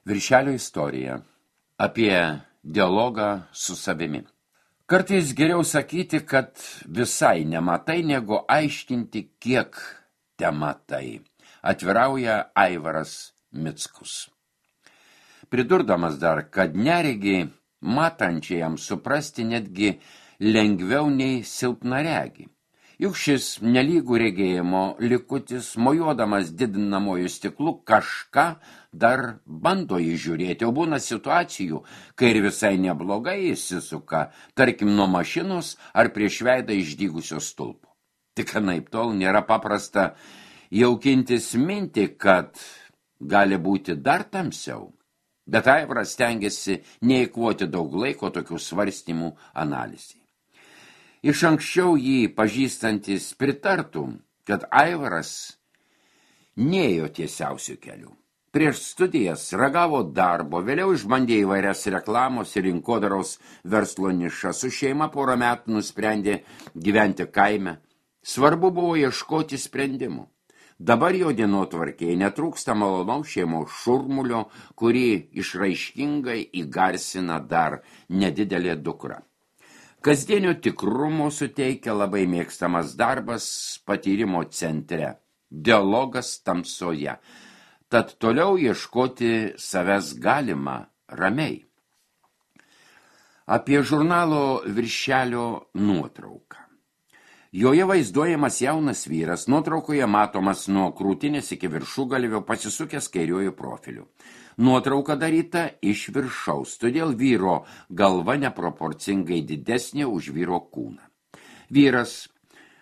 Viršelio istorija apie dialogą su savimi. Kartais geriau sakyti, kad visai nematai, negu aiškinti, kiek te matai. Atvirauja Aivaras Mickus. Pridurdamas dar, kad neregį matančiajam suprasti netgi lengviau nei silpnaregį. Juk šis nelygų regėjimo likutis, mojuodamas didinamojų stiklų, kažką dar bando įžiūrėti, o būna situacijų, kai ir visai neblogai įsisuka, tarkim nuo mašinos ar prieš veidą išdygusios stulpo. Tik anaip tol nėra paprasta jaukintis mintį, kad gali būti dar tamsiau. Bet Aivaras stengiasi neįkvoti daug laiko tokių svarstymų analizai. Iš anksčiau jį pažįstantis pritartų, kad Aivaras nėjo tiesiausių kelių. Prieš studijas ragavo darbo, vėliau išbandė įvairias reklamos ir rinkodaros verslo nišas. Su šeima porą metų nusprendė gyventi kaime. Svarbu buvo ieškoti sprendimų. Dabar jo dienotvarkėje netrūksta malonaus šeimos šurmulio, kurį išraiškingai įgarsina dar nedidelė dukra. Kasdienio tikrumo suteikia labai mėgstamas darbas patyrimo centre, dialogas tamsoje. Tad toliau ieškoti savęs galima ramiai. Apie žurnalo Viršelio nuotrauką. Joje vaizduojamas jaunas vyras, nuotraukoje matomas nuo krūtinės iki viršugalvio pasisukęs kairiuoju profiliu. Nuotrauka daryta iš viršaus, todėl vyro galva neproporcingai didesnė už vyro kūną. Vyras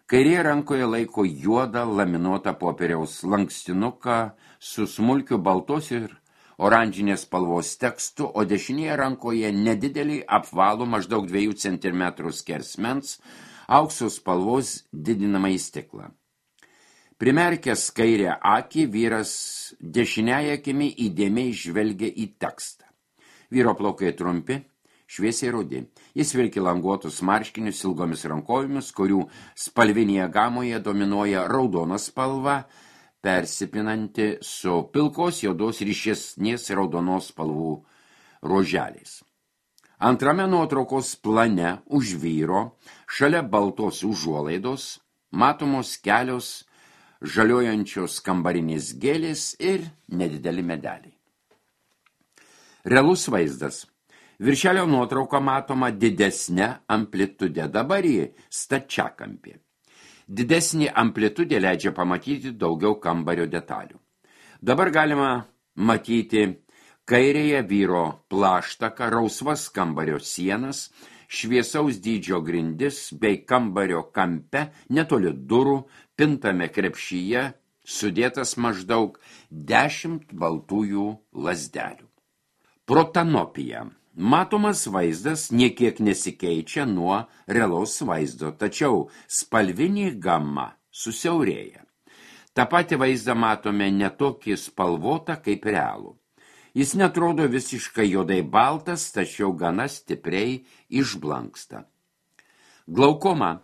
kairėje rankoje laiko juodą laminuotą popieriaus lankstinuką su smulkiu baltos ir oranžinės spalvos tekstu, o dešinėje rankoje nedidelį apvalų maždaug 2 cm skersmens aukso spalvos didinamąjį stiklą. Primerkęs kairę akį, vyras dešiniąją akimi įdėmiai žvelgia į tekstą. Vyro plaukai trumpi, šviesiai rudi. Jis vilki languotus marškinius ilgomis rankovėmis, kurių spalvinėje gamoje dominuoja raudona spalva, persipinanti su pilkos juodos ryšesnės raudonos spalvų ruoželiais. Antrame nuotraukos plane už vyro, šalia baltos užuolaidos, matomos kelios žaliojančios kambarinės gėlės ir nedideli medeliai. Realus vaizdas. Viršelio nuotrauka matoma didesnė amplitude, dabar į stačiakampį. Didesnė amplitudė leidžia pamatyti daugiau kambario detalių. Dabar galima matyti kairėje vyro plaštaką, rausvas kambario sienas, šviesaus dydžio grindis bei kambario kampe, netoli durų, pintame krepšyje, sudėtas maždaug 10 baltųjų lazdelių. Protanopija. Matomas vaizdas niekiek nesikeičia nuo realaus vaizdo, tačiau spalvinė gama susiaurėja. Ta pati vaizdą matome netokį spalvotą kaip realų. Jis netrodo visiškai juodai baltas, tačiau gana stipriai išblanksta. Glaukoma.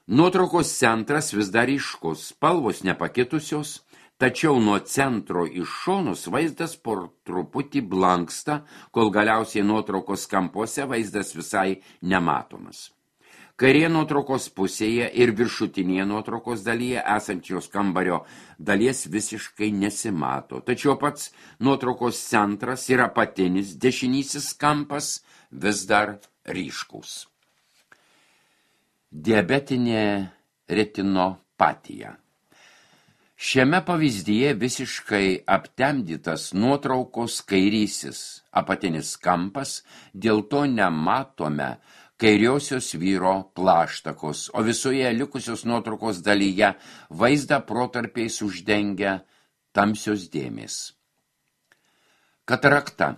Nuotraukos centras vis dar ryškus, spalvos nepakitusios, tačiau nuo centro iš šonus vaizdas po truputį blanksta, kol galiausiai nuotraukos kampuose vaizdas visai nematomas. Kairėje nuotraukos pusėje ir viršutinėje nuotraukos dalyje esančios kambario dalies visiškai nesimato, tačiau pats nuotraukos centras ir apatinis dešinysis kampas vis dar ryškus. Diabetinė retinopatija. Šiame pavyzdyje visiškai aptemdytas nuotraukos kairysis apatinis kampas, dėl to nematome kairiosios vyro plaštakos, o visoje likusios nuotraukos dalyje vaizdą protarpiais uždengia tamsios dėmės. Katarakta.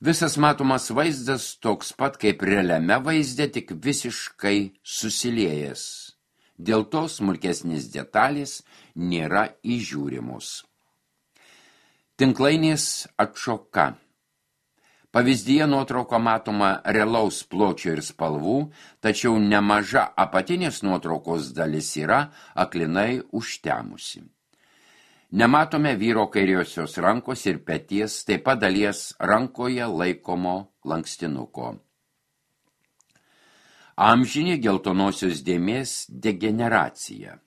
Visas matomas vaizdas toks pat kaip realiame vaizde, tik visiškai susiliejęs. Dėl to smulkesnės detalės nėra įžiūrimos. Tinklainės atšoka. Pavyzdyje nuotrauka matoma realaus pločio ir spalvų, tačiau nemaža apatinės nuotraukos dalis yra aklinai užtemusi. Nematome vyro kairiosios rankos ir peties, taip pat dalies rankoje laikomo lankstinuko. Amžinė geltonosios dėmės degeneracija.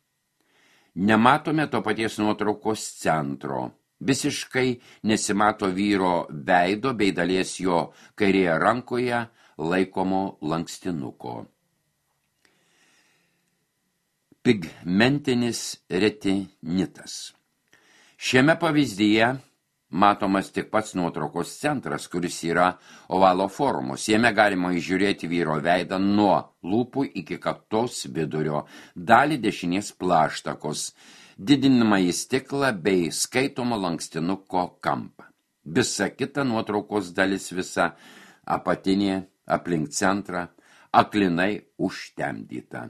Nematome to paties nuotraukos centro. Visiškai nesimato vyro veido bei dalies jo kairėje rankoje laikomo lankstinuko. Pigmentinis retinitas. Šiame pavyzdyje matomas tik pats nuotraukos centras, kuris yra ovalo formos. Jame galima įžiūrėti vyro veidą nuo lūpų iki kaktos vidurio, dalį dešinės plaštakos, didinamąjį stiklą bei skaitomo lankstinuko kampą. Visa kita nuotraukos dalis, visa apatinė aplink centrą, aklinai užtemdyta.